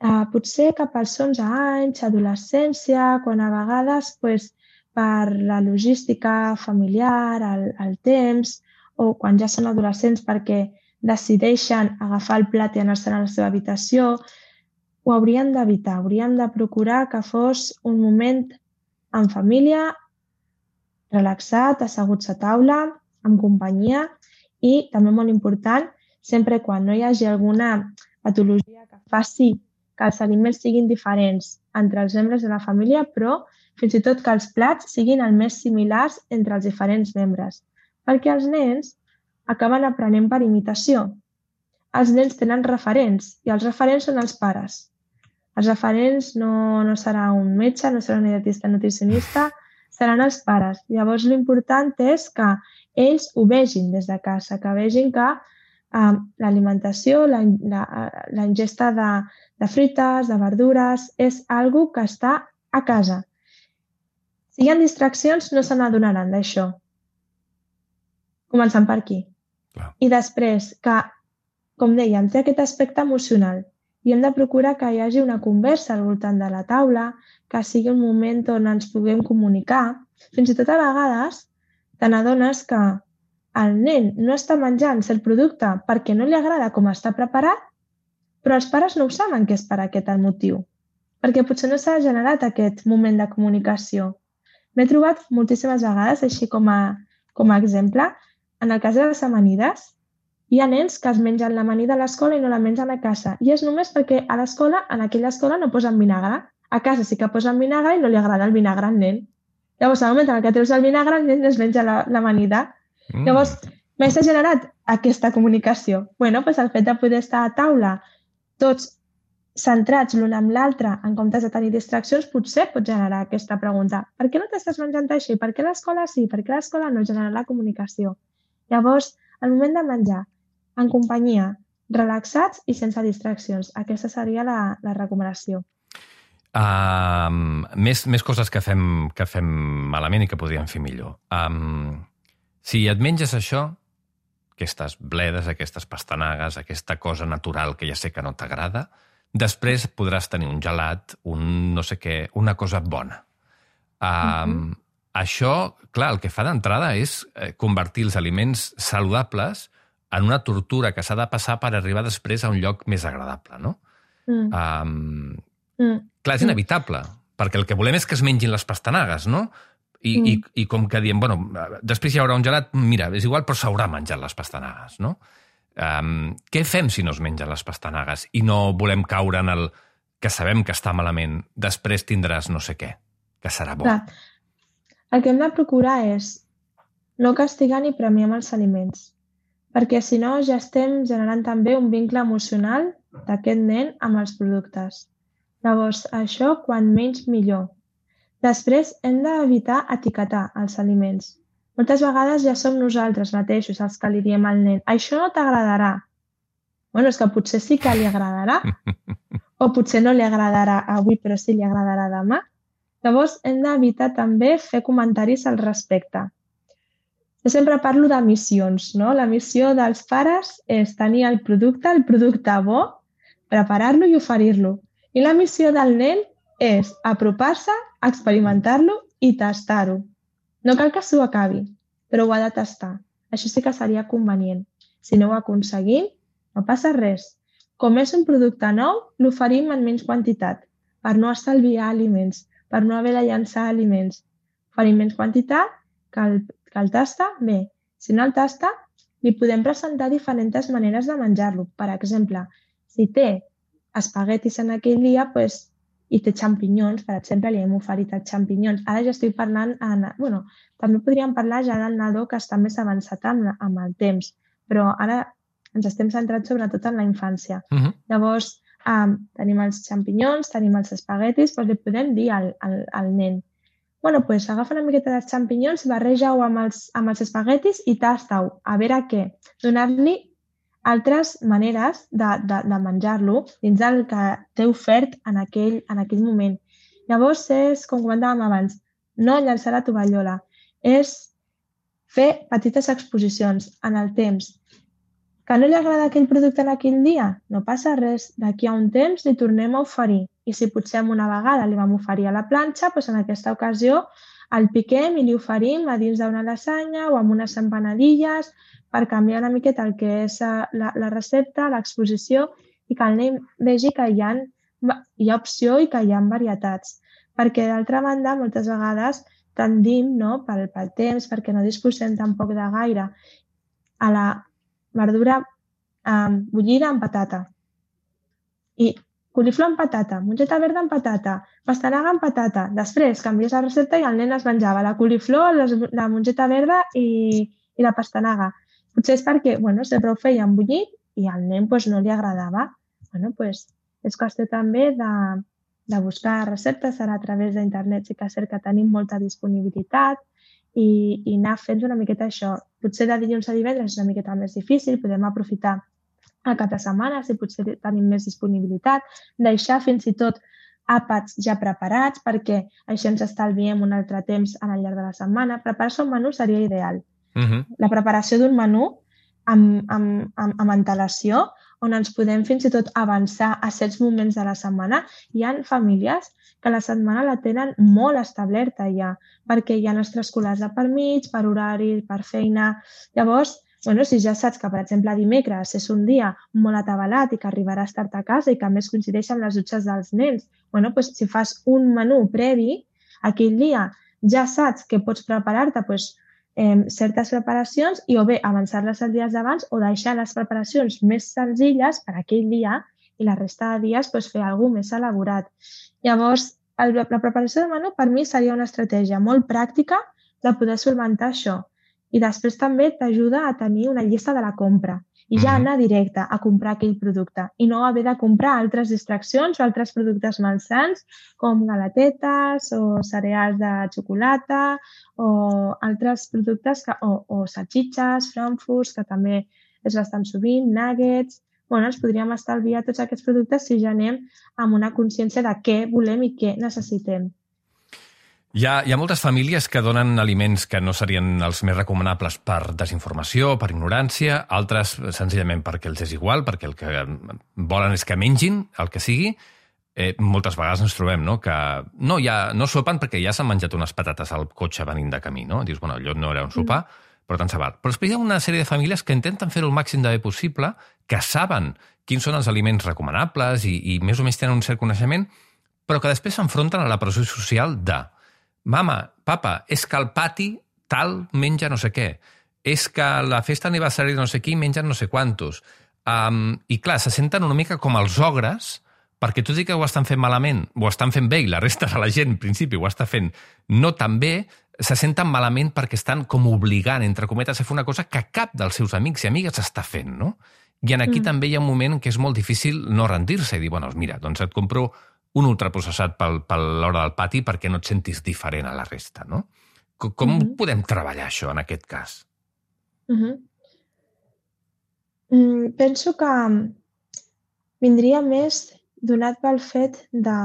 eh, potser cap als onze anys, adolescència, quan a vegades pues, per la logística familiar, el, el temps, o quan ja són adolescents perquè decideixen agafar el plat i anar-se'n a la seva habitació, ho haurien d'evitar. Hauríem de procurar que fos un moment en família, relaxat, asseguts a taula, amb companyia i, també molt important, sempre quan no hi hagi alguna patologia que faci que els aliments siguin diferents entre els membres de la família, però fins i tot que els plats siguin el més similars entre els diferents membres. Perquè els nens acaben aprenent per imitació. Els nens tenen referents i els referents són els pares. Els referents no, no serà un metge, no serà un dietista nutricionista, seran els pares. Llavors, l'important és que ells ho vegin des de casa, que vegin que eh, l'alimentació, la, la, la ingesta de, de fruites, de verdures, és algo que està a casa. Si hi ha distraccions, no se n'adonaran d'això. Començant per aquí. Clar. I després, que, com dèiem, té aquest aspecte emocional i hem de procurar que hi hagi una conversa al voltant de la taula, que sigui un moment on ens puguem comunicar. Fins i tot a vegades te n'adones que el nen no està menjant cert producte perquè no li agrada com està preparat, però els pares no ho saben que és per aquest el motiu, perquè potser no s'ha generat aquest moment de comunicació. M'he trobat moltíssimes vegades, així com a, com a exemple, en el cas de les amanides, hi ha nens que es mengen l'amanida a l'escola i no la mengen a casa. I és només perquè a l'escola, en aquella escola, no posen vinagre. A casa sí que posen vinagre i no li agrada el vinagre al nen. Llavors, al moment en què treus el vinagre, el nen es menja l'amanida. Mm. Llavors, mai s'ha generat aquesta comunicació. Bueno, doncs el fet de poder estar a taula tots centrats l'un amb l'altre en comptes de tenir distraccions, potser pot generar aquesta pregunta. Per què no t'estàs menjant així? Per què l'escola sí? Per què l'escola no? Genera la comunicació. Llavors, al moment de menjar, en companyia, relaxats i sense distraccions. Aquesta seria la, la recomanació. Um, més, més coses que fem, que fem malament i que podríem fer millor. Um, si et menges això, aquestes bledes, aquestes pastanagues, aquesta cosa natural que ja sé que no t'agrada, després podràs tenir un gelat, un no sé què, una cosa bona. Um, uh-huh. Això, clar, el que fa d'entrada és convertir els aliments saludables en una tortura que s'ha de passar per arribar després a un lloc més agradable, no? Mm. Um, mm. Clar, és inevitable, mm. perquè el que volem és que es mengin les pastanagues, no? I, mm. i, i com que diem, bueno, després hi haurà un gelat, mira, és igual, però s'haurà menjat les pastanagues, no? Um, què fem si no es mengen les pastanagues i no volem caure en el que sabem que està malament, després tindràs no sé què, que serà bo? Clar. El que hem de procurar és no castigar ni premiar amb els aliments, perquè si no ja estem generant també un vincle emocional d'aquest nen amb els productes. Llavors, això quan menys millor. Després hem d'evitar etiquetar els aliments. Moltes vegades ja som nosaltres mateixos els que li diem al nen això no t'agradarà. Bueno, és que potser sí que li agradarà, o potser no li agradarà avui però sí li agradarà demà. Llavors hem d'evitar també fer comentaris al respecte. Jo sempre parlo de missions, no? La missió dels pares és tenir el producte, el producte bo, preparar-lo i oferir-lo. I la missió del nen és apropar-se, experimentar-lo i tastar-ho. No cal que s'ho acabi, però ho ha de tastar. Això sí que seria convenient. Si no ho aconseguim, no passa res. Com és un producte nou, l'oferim en menys quantitat, per no estalviar aliments, per no haver de llançar aliments. Oferim menys quantitat, que el que el tasta, bé. Si no el tasta, li podem presentar diferents maneres de menjar-lo. Per exemple, si té espaguetis en aquell dia pues, i té xampinyons, per exemple, li hem oferit els xampinyons. Ara ja estic parlant... En, bueno, també podríem parlar ja del nadó que està més avançat amb, amb el temps, però ara ens estem centrats sobretot en la infància. Uh-huh. Llavors, um, tenim els xampinyons, tenim els espaguetis, doncs li podem dir al, al, al nen bueno, doncs agafa una miqueta de xampinyons, barreja-ho amb els, amb els espaguetis i tasta-ho. A veure què. Donar-li altres maneres de, de, de menjar-lo dins del que té ofert en aquell, en aquell moment. Llavors és, com comentàvem abans, no llançar la tovallola. És fer petites exposicions en el temps. Que no li agrada aquell producte en aquell dia? No passa res. D'aquí a un temps li tornem a oferir. I si potser una vegada li vam oferir a la planxa, doncs en aquesta ocasió el piquem i li oferim a dins d'una lasanya o amb unes empanadilles per canviar una miqueta el que és la, la recepta, l'exposició i que el nen vegi que hi ha, hi ha opció i que hi ha varietats. Perquè d'altra banda, moltes vegades tendim, no, pel, pel temps, perquè no disposem tampoc de gaire, a la verdura um, bullida amb patata. I coliflor amb patata, mongeta verda amb patata, pastanaga amb patata. Després canvies la recepta i el nen es menjava la coliflor, la mongeta verda i, i la pastanaga. Potser és perquè, bueno, sempre ho feia amb bullit i al nen pues, no li agradava. Bueno, pues, és qüestió també de, de buscar receptes, ara a través d'internet sí que és cert que tenim molta disponibilitat i, i anar fent una miqueta això. Potser de dilluns a divendres és una miqueta més difícil, podem aprofitar el cap de setmana, si potser tenim més disponibilitat, deixar fins i tot àpats ja preparats perquè així ens estalviem un altre temps al llarg de la setmana. Preparar-se un menú seria ideal. Uh-huh. La preparació d'un menú amb, amb, amb, amb antelació on ens podem fins i tot avançar a certs moments de la setmana. Hi ha famílies que la setmana la tenen molt establerta ja, perquè hi ha extraescolars de per mig, per horari, per feina. Llavors, bueno, si ja saps que, per exemple, dimecres és un dia molt atabalat i que arribaràs tard a casa i que a més coincideix amb les dutxes dels nens, bueno, doncs, si fas un menú previ, aquell dia ja saps que pots preparar-te doncs, eh, certes preparacions i o bé avançar-les els dies d'abans o deixar les preparacions més senzilles per aquell dia i la resta de dies doncs, fer alguna cosa més elaborat. Llavors, el, la preparació del menú per mi seria una estratègia molt pràctica de poder solventar això. I després també t'ajuda a tenir una llista de la compra i ja anar directe a comprar aquell producte i no haver de comprar altres distraccions o altres productes malsans com galatetes o cereals de xocolata o altres productes que, o, o salsitxes, frankfurts, que també és bastant sovint, nuggets. Bueno, ens podríem estalviar tots aquests productes si ja anem amb una consciència de què volem i què necessitem. Hi ha, hi ha moltes famílies que donen aliments que no serien els més recomanables per desinformació, per ignorància, altres senzillament perquè els és igual, perquè el que volen és que mengin el que sigui. Eh, moltes vegades ens trobem no? que no, ja, no sopen perquè ja s'han menjat unes patates al cotxe venint de camí. No? Dius, bueno, allò no era un sopar, mm. però tant se val. Però després hi ha una sèrie de famílies que intenten fer-ho el màxim de bé possible, que saben quins són els aliments recomanables i, i més o menys tenen un cert coneixement, però que després s'enfronten a la pressió social de mama, papa, és que al pati tal menja no sé què, és que a la festa aniversari de no sé qui mengen no sé quantos. Um, I clar, se senten una mica com els ogres, perquè tot i que ho estan fent malament, ho estan fent bé i la resta de la gent, en principi, ho està fent no tan bé, se senten malament perquè estan com obligant, entre cometes, a fer una cosa que cap dels seus amics i amigues està fent, no? I en aquí mm. també hi ha un moment que és molt difícil no rendir-se i dir, bueno, mira, doncs et compro un ultraprocessat per, per l'hora del pati perquè no et sentis diferent a la resta, no? Com, com uh-huh. podem treballar això en aquest cas? Uh-huh. Mm, penso que vindria més donat pel fet de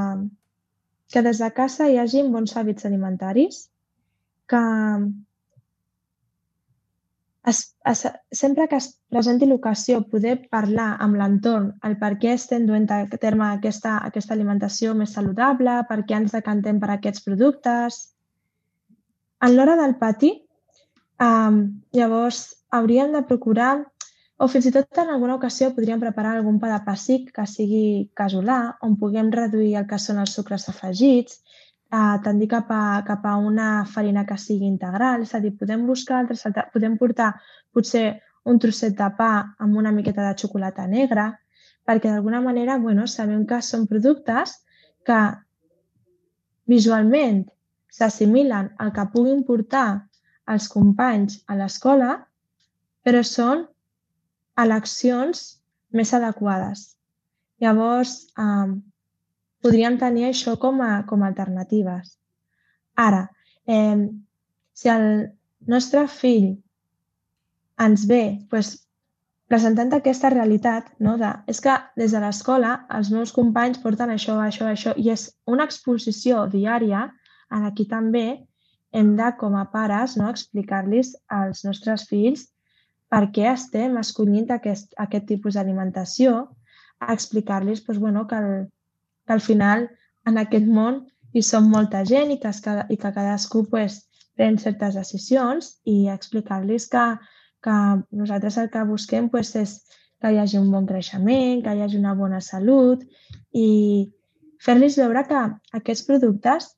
que des de casa hi hagi bons hàbits alimentaris, que es, es, sempre que es presenti l'ocasió poder parlar amb l'entorn el per què estem duent a terme aquesta, aquesta alimentació més saludable, per què ens decantem per aquests productes. En l'hora del pati, eh, llavors hauríem de procurar, o fins i tot en alguna ocasió podríem preparar algun pa de pessic que sigui casolà, on puguem reduir el que són els sucres afegits, Uh, tendir cap a, cap a una farina que sigui integral, és a dir, podem buscar altres, podem portar potser un trosset de pa amb una miqueta de xocolata negra, perquè d'alguna manera, bueno, sabem que són productes que visualment s'assimilen al que puguin portar els companys a l'escola, però són eleccions més adequades. Llavors, eh, podríem tenir això com a, com a alternatives. Ara, eh, si el nostre fill ens ve doncs, presentant aquesta realitat, no, de, és que des de l'escola els meus companys porten això, això, això, i és una exposició diària, en aquí també hem de, com a pares, no, explicar-los als nostres fills per què estem escollint aquest, aquest tipus d'alimentació, explicar-los doncs, bueno, que el que al final en aquest món hi som molta gent i que, es, i que cadascú pues, pren certes decisions i explicar-los que, que nosaltres el que busquem pues, és que hi hagi un bon creixement, que hi hagi una bona salut i fer-los veure que aquests productes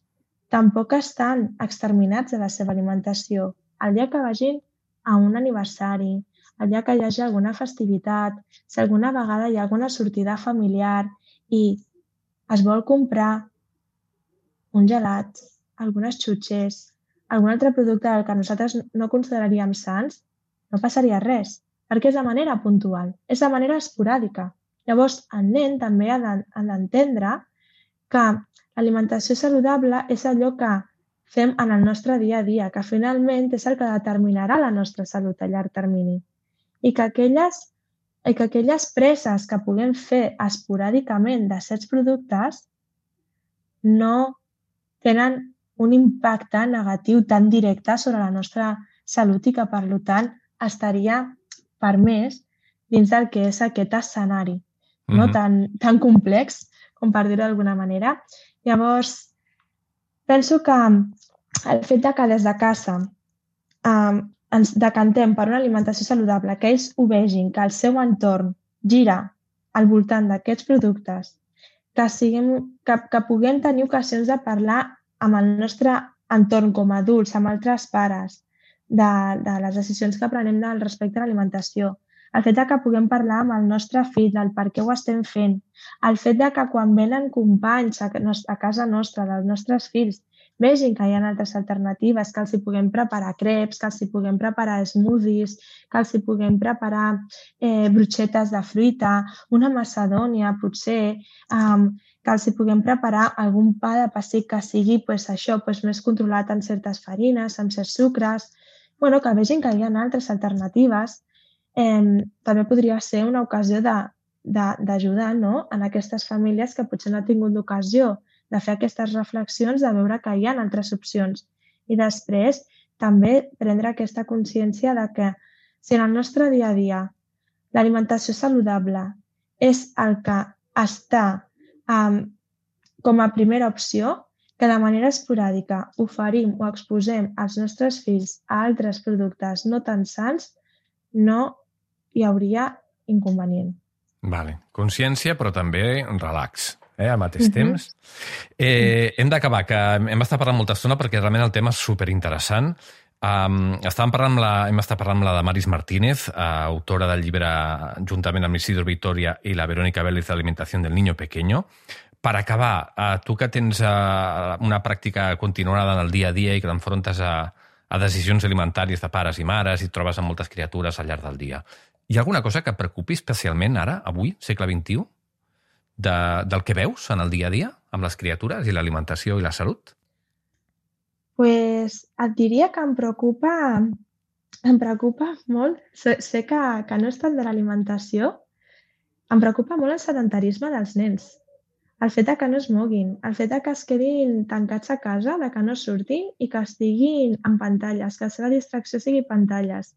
tampoc estan exterminats de la seva alimentació. El dia que vagin a un aniversari, allà que hi hagi alguna festivitat, si alguna vegada hi ha alguna sortida familiar i es vol comprar un gelat, algunes xutxes, algun altre producte del que nosaltres no consideraríem sants, no passaria res, perquè és de manera puntual, és de manera esporàdica. Llavors, el nen també ha d'entendre que l'alimentació saludable és allò que fem en el nostre dia a dia, que finalment és el que determinarà la nostra salut a llarg termini. I que aquelles, i que aquelles preses que puguem fer esporàdicament de certs productes no tenen un impacte negatiu tan directe sobre la nostra salut i que, per tant, estaria permès dins del que és aquest escenari, no? Mm-hmm. tan, tan complex, com per dir-ho d'alguna manera. Llavors, penso que el fet de que des de casa eh, ens decantem per una alimentació saludable, que ells ho vegin, que el seu entorn gira al voltant d'aquests productes, que, siguem, que, que puguem tenir ocasions de parlar amb el nostre entorn com a adults, amb altres pares, de, de les decisions que prenem del respecte a l'alimentació. El fet de que puguem parlar amb el nostre fill del per què ho estem fent. El fet de que quan venen companys a, a casa nostra, dels nostres fills, vegin que hi ha altres alternatives, que els hi puguem preparar creps, que els hi puguem preparar smoothies, que els hi puguem preparar eh, brotxetes de fruita, una macedònia, potser, um, que els hi puguem preparar algun pa de pessic que sigui pues, això, pues, més controlat en certes farines, amb certs sucres, bueno, que vegin que hi ha altres alternatives. Eh, també podria ser una ocasió d'ajudar, no?, en aquestes famílies que potser no han tingut l'ocasió de fer aquestes reflexions, de veure que hi ha altres opcions. I després també prendre aquesta consciència de que si en el nostre dia a dia l'alimentació saludable és el que està um, com a primera opció, que de manera esporàdica oferim o exposem als nostres fills a altres productes no tan sants, no hi hauria inconvenient. Vale. Consciència, però també relax. Eh, al mateix uh-huh. temps. Eh, hem d'acabar, que hem estat parlant molta estona perquè realment el tema és superinteressant. Um, estàvem parlant amb la, hem estat parlant amb la Damaris Martínez, uh, autora del llibre juntament amb l'Isidro Victoria i la Verónica Vélez de Alimentació del Niño Pequeño. Per acabar, uh, tu que tens uh, una pràctica continuada en el dia a dia i que t'enfrontes a, a decisions alimentàries de pares i mares i et trobes amb moltes criatures al llarg del dia, hi ha alguna cosa que et preocupi especialment ara, avui, segle vint-i-u? De, del que veus en el dia a dia amb les criatures i l'alimentació i la salut? Pues et diria que em preocupa, em preocupa molt, sé, sé que, que no és tant de l'alimentació, em preocupa molt el sedentarisme dels nens. El fet de que no es moguin, el fet de que es quedin tancats a casa, de que no surtin i que estiguin en pantalles, que la seva distracció sigui pantalles.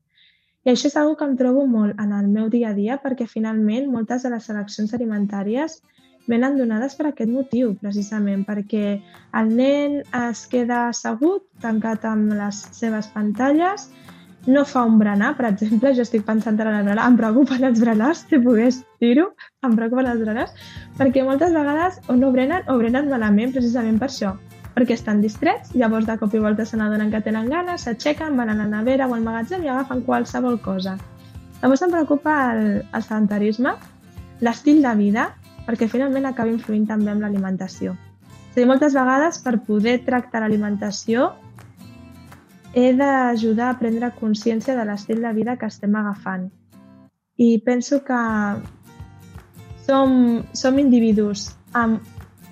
I això és una que em trobo molt en el meu dia a dia perquè finalment moltes de les seleccions alimentàries venen donades per aquest motiu, precisament, perquè el nen es queda assegut, tancat amb les seves pantalles, no fa un berenar, per exemple, jo estic pensant en el berenar, em preocupen els berenars, si pogués dir-ho, em preocupen els berenars, perquè moltes vegades o no brenen o brenen malament precisament per això, perquè estan distrets, llavors de cop i volta se n'adonen que tenen ganes, s'aixequen, van a la nevera o al magatzem i agafen qualsevol cosa. Llavors em preocupa el, el sedentarisme, l'estil de vida, perquè finalment acaba influint també amb l'alimentació. És a dir, moltes vegades per poder tractar l'alimentació he d'ajudar a prendre consciència de l'estil de vida que estem agafant. I penso que som, som individus amb,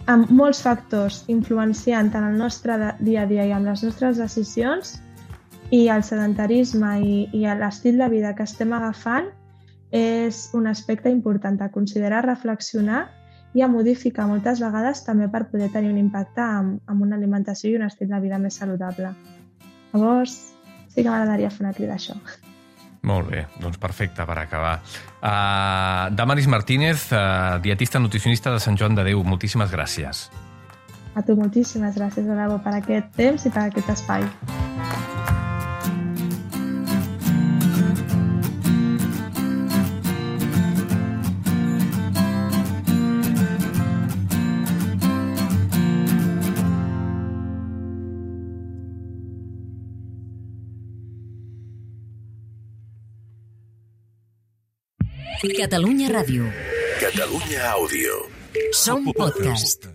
amb molts factors influenciant en el nostre dia a dia i amb les nostres decisions, i el sedentarisme i, i l'estil de vida que estem agafant és un aspecte important a considerar, reflexionar i a modificar moltes vegades també per poder tenir un impacte amb, amb una alimentació i un estil de vida més saludable. Llavors, sí que m'agradaria fer una crida a això. Molt bé, doncs perfecte per acabar. Uh, Damaris Martínez, uh, dietista nutricionista de Sant Joan de Déu, moltíssimes gràcies. A tu moltíssimes gràcies, Adabo, per aquest temps i per aquest espai. Catalunya Ràdio. Catalunya Àudio. Som podcast.